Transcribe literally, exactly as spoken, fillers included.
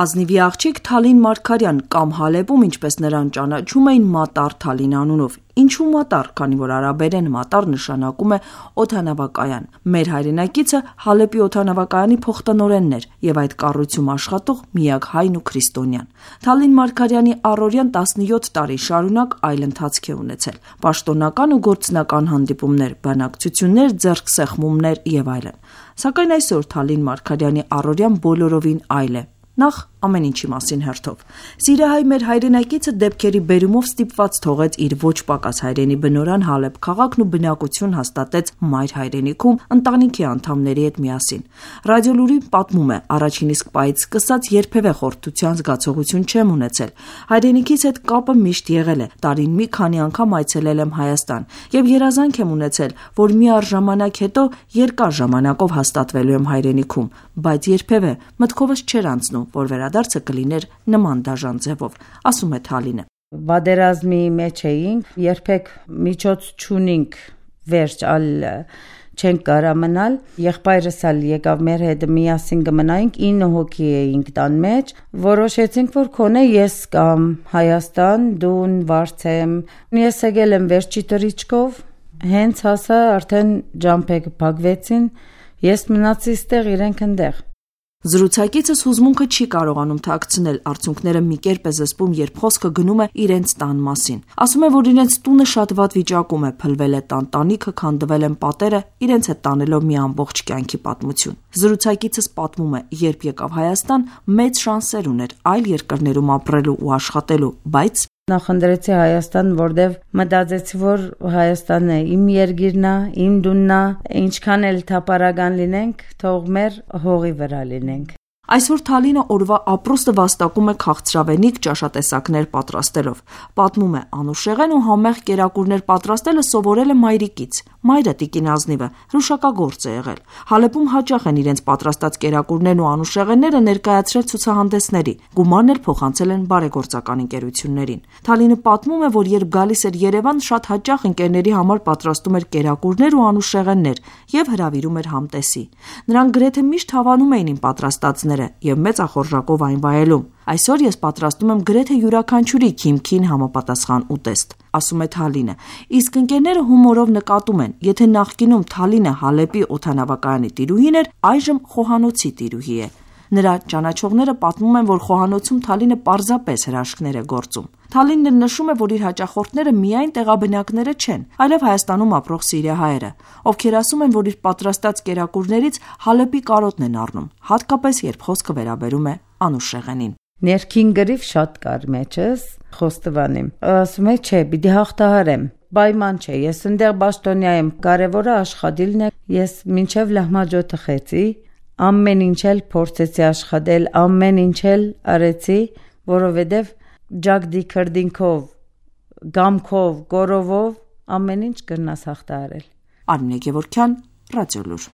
Ազնիվի աղջիկ Թալին Մարգարյան կամ Հալեպում, ինչպես նրան ճանաչում էին, Մատար Թալին անունով։ Ինչու Մատար, քանի որ արաբերեն մատար նշանակում է օդանավակայան։ Մեր հայրենակիցը Հալեպի օդանավակայանի փոխտնօրենն էր եւ այդ կառույցում աշխատող միակ հայն ու քրիստոնյան։ Թալին Մարգարյանի առօրյան տասնյոթ տարի շարունակ այլ ընթացք է ունեցել՝ պաշտոնական ու գործնական հանդիպումներ, բանակցություններ, ձեռքսեղմումներ եւ այլն։ Սակայն այսօր Թալին Մարգարյանի առօրյան բոլորովին այլ է։ Նախ ամեն ինչի մասին հերթով։ Սիրահայ մեր հայրենակիցը դեպքերի բերումով ստիպված թողեց իր ոչ պակաս հայրենի բնորան Հալեբ քաղաքն ու բնակություն հաստատեց մայր հայրենիքում ընտանիքի անդամների հետ միասին։ Ռադիոլուրին պատմում է, առաջին իսկ պահից սկսած երբևէ խորհրդության զգացողություն չեմ ունեցել։ Հայրենիքից հետ կապը միշտ եղել է։ Տարին մի քանի անգամ այցելել եմ Հայաստան եւ երազանք եմ ունեցել, որ մի առժամանակ հետո երկար ժամանակով հաստատվելու եմ հայրենիքում, բայց երբևէ մտքովս չէր անցնում, որ վերադարձը կլիներ նման դաժան ձևով, ասում է Թալինը։ Պատերազմի մեջ էինք, երբեք միջոց չունենք վերջ ալ չենք կարա մնալ, եղբայրս ալ եկավ մեր հետ միասին կմնայինք, ինը հոգի էինք տան մեջ, որոշեցինք, որ քոնե ես կամ Հայաստան, դուն վարձեմ, ես եկել եմ վերջի տրիչկով, հենց հասա արդեն ջամփեկ փակվեցին, ես մնացի ստեղ, իրենք ընդեղ։ Զրուցակիցս հուզմունքը չի կարողանում թաքցնել, արդյունքները մի կերպ է զսպում, երբ խոսքը գնում է իրենց տան մասին։ Ասում է, որ իրենց տունը շատ վատ վիճակում է, փլվել է տան տանիքը, քանդվել են պատերը, իրենց հետ տանելով մի ամբողջ կյանքի պատմություն։ Զրուցակիցս պատմում է, երբ եկավ Հայաստան, մեծ շանսեր ուներ այլ երկրներում ապրելու ու աշխատելու, բայց նախընտրեցի Հայաստան, որտեվ մտածեցի, որ Հայաստանն է իմ երկիրն է, իմ տունն է, ինչքան էլ թափառական լինենք, թող մեր հողի վրա լինենք։ Այսօր Թալինը օրվա ապրուստը վաստակում է քաղցրավենիք ճաշատեսակներ պատրաստելով։ Պատմում է, անուշեղեն ու համեղ կերակուրներ պատրաստելը սովորել է մայրիկից։ Մայրը տիկին Ազնիվը հրուշակագործ է եղել։ Հալեպում հաճախ են իրենց պատրաստած կերակուրներն ու անուշեղենները ներկայացրել ցուցահանդեսների։ Գումարն էլ փոխանցել են բարեգործական ընկերություններին։ Թալինը պատմում է, որ երբ գալիս էր Երևան, շատ հաճախ ընկերների համար պատրաստում էր կերակուրներ ու անուշեղեններ եւ հրավիրում էր համտեսի։ Նրանք գրեթե միշտ հավանում էին իմ պատրաստածները եւ մեծ ախորժակով այն վայելում։ Այսօր ես պատրաստում եմ գրեթե յուրաքանչյուրի քիմքին համապատասխան ուտեստ, ասում է Թալինը։ Իսկ ընկերները հումորով նկատում են, եթե նախկինում Թալինը Հալեպի օդանավակայանի տիրուհին էր, այժմ խոհանոցի տիրուհի է։ Նրա ճանաչողները պատմում են, որ խոհանոցում Թալինը պարզապես հրաշքներ է գործում։ Թալինն նշում է, որ իր հաճախորդները միայն տեղաբնակները չեն, այլև Հայաստանում ապրող սիրիահայերը, ովքեր ասում են, որ իր պատրաստած կերակուրներից Հալեպի կարոտն են առնում, հատկապես երբ խոսքը վերաբերում է անուշեղենին։ Ներքին գրիվ շատ կար մեջս, խոստովանեմ։ Ասում է, չէ, պիտի հաղթահարեմ։ Պայման չէ, ես ընդեղ պաշտոնյա եմ, կարևորը աշխատելն է։ Ես մինչև լահմաջոտը խեցի, ամեն ինչ էլ փորձեցի աշխատել, ամեն ինչ էլ արեցի, որովհետև ջագդի քրդինքով, գամքով, գորովով ամեն ինչ կրնաս հաղթահարել։ Արմինե Գևորգյան, Ռադիոլուր։